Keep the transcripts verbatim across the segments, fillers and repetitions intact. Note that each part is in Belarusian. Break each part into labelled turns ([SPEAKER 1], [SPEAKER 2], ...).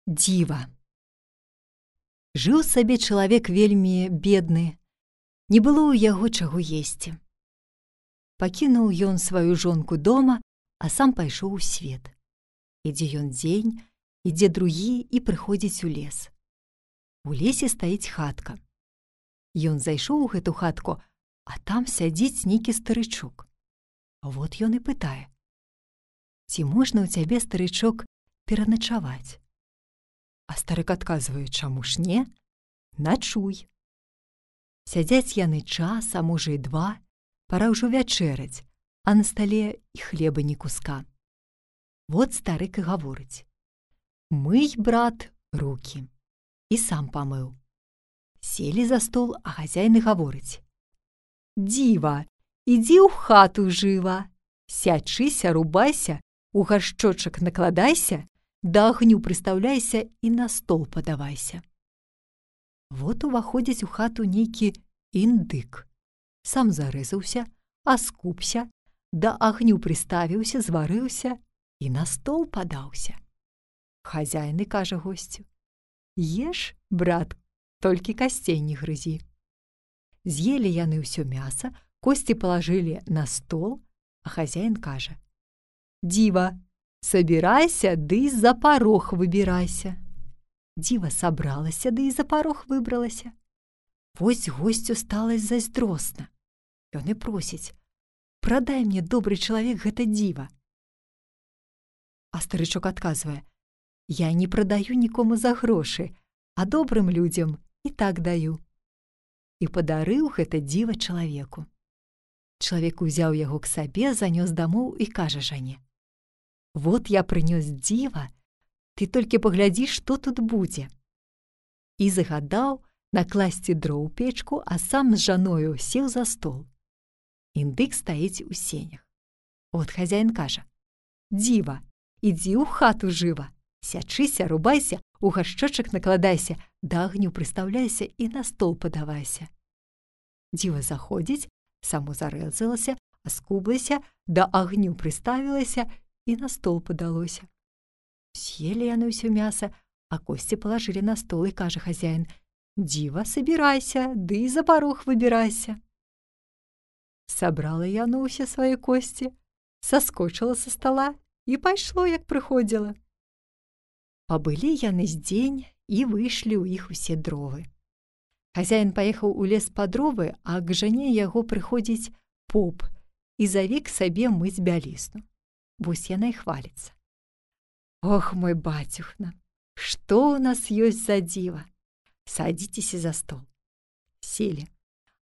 [SPEAKER 1] Дзіва. Жыў сабе чалавек вельмі бедны, не было ў яго чаго есці. Пакінуў ён сваю жонку дома, а сам пайшоў у свет. Ідзе ён дзень, ідзе другі і прыходзіць у лес. У лесе стаіць хатка. Ён зайшоў у гэту хатку, а там сядзіць нейкі старычок. Вот ён і пытае: «Ці можна ў цябе, старычок, пераначаваць?» А старык адказвае: «Чаму ж не? Начуй». Сядзяць яны час, а можа і два, пара ўжо вячэраць, а на стале і хлеба ні куска. Вот старык і гаворыць: «Мый, брат, рукі». І сам памыў. Селі за стол, а хазяін і гаворыць: «Дзіва, ідзі ў хату жыва, сячыся, рубайся, у гаршчочак накладайся, да агню прыстаўляйся і на стол падавайся». Вот уваходзіць у хату нейкі індык. Сам зарэзаўся, аскупся, да агню прыставіўся, зварыўся і на стол падаўся. Хазяін і кажа госцю: «Еш, брат, толькі касцей не грызі». З'елі яны ўсё мяса, косці палажылі на стол, а хазяін кажа: «Дзіва, сабірайся, ды за парог выбірайся». Дзіва сабралася, ды і за парог выбралася. Вось госцю стала зайздросна. Ён і просіць: «Прадай мне, добры чалавек, гэта дзіва». А старычок адказвае: «Я не прадаю нікому за грошы, а добрым людзям і так даю». І падарыў гэта дзіва чалавеку. Чалавек узяў яго к сабе, занёс дамоў і кажа жане: «Вот я прынёс дзіва, ты толькі паглядзі, што тут будзе». І загадаў накласці дроў у печку, а сам з жаною сеў за стол. Індык стаіць у сенях. От хазяін кажа: «Дзіва, ідзі ў хату жыва, сячыся, рубайся, у гаршчочак накладайся, да агню прыстаўляйся і на стол падавайся». Дзіва заходзіць, само зарэзалася, аскублася, да агню прыставілася і на стол падалося. З'елі яны ўсё мяса, а косці палажылі на стол, і кажа хазяін: «Дзіва, сабірайся, ды і за парог выбірайся». Сабрала яно ўсе свае косці, саскочыла са стала і пайшло, як прыходзіла. Пабылі яны з дзень і выйшлі ў іх усе дровы. Хазяін паехаў у лес па дровы, а к жане яго прыходзіць поп і заве к сабе мыць бялізну. Вось яна і хваліцца: «Ох, мой бацюхна, што ў нас ёсць за дзіва? Садзіцеся за стол». Селі,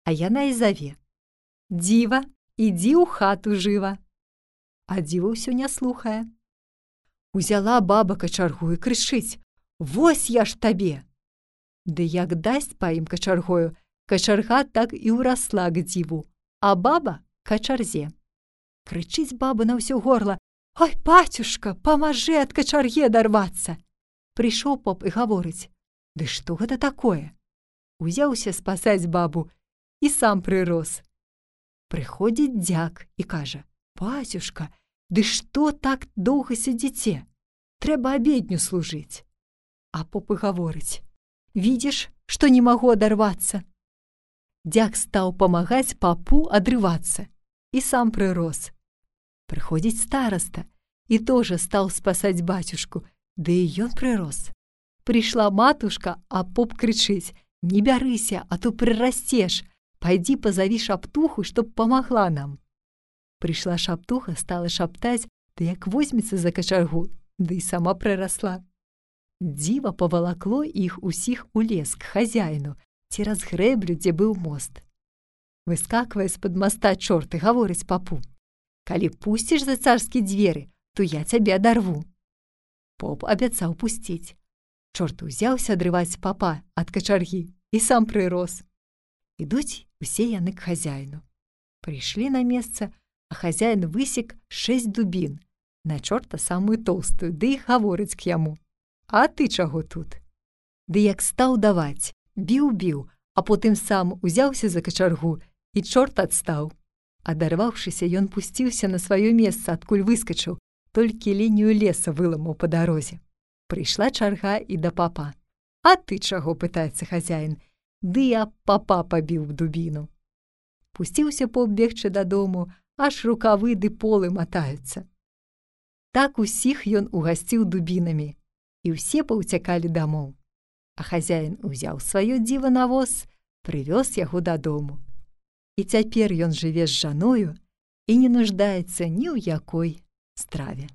[SPEAKER 1] а яна і заве: «Дзіва, ідзі ў хату жыва». А дзіва ўсё не слухае. Узяла баба качаргу і крычыць: «Вось я ж табе!» Ды як дасць па ім качаргою, качарга так і ўрасла к дзіву, а баба качарзе. Крычыць баба на ўсё горла: «Ой, бацюшка, памажы ад качарге дарвацца!» Прыйшоў поп і гаворыць: «Ды што гэта такое?» Узяўся спасаць бабу і сам прырос. Прыходзіць дзяк і кажа: «Бацюшка, ды што так доўга сядзіце? Трэба абедню служыць». А поп і гаворыць: «Відзіш, што не магу адарвацца». Дзяк стаў памагаць папу адрывацца і сам прырос. Прыходзіць стараста і тоже стаў спасаць бацюшку, ды і ён прырос. Прыйшла матушка, а поп крычыць: «Не бярыся, а то прырасцеш, пайдзі пазаві шаптуху, чтоб памагла нам». Прыйшла шаптуха, стала шаптаць, ды як возьмецца за качаргу, ды і сама прырасла. Дзіва павалакло іх усіх у лес к хазяіну, цераз грэблю, дзе быў мост. Выскаквае з-пад моста чорт і гаворыць папу: «Калі пусціш за царскі дзверы, то я цябе адарву». Поп абяцаў пусціць. Чорт узяўся адрываць папа ад качаргі і сам прырос. Ідуць усе яны к хазяіну. Прыйшлі на месца, а хазяін высек шэсць дубін, на чорта самую тоўстую, ды і гаворыць к яму: «А ты чаго тут?» Ды як стаў даваць, біў-біў, а потым сам узяўся за качаргу, і чорт адстаў. Адарваўшыся, ён пусціўся на сваё месца, адкуль выскачыў, толькі лінію леса выламаў па дарозе. Прыйшла чарга і да папа. «А ты чаго?» – пытаецца хазяін. «Ды я папа пабіў дубіну». Пусціўся поп бегчы дадому, аж рукавы ды полы матаюцца. Так усіх ён угасціў дубінамі, і ўсе паўцякалі дамоў. А хазяін узяў сваё дзіва на воз, прывёз яго дадому. І цяпер ён жыве з жаною і не нуждаецца ні ў якой страве.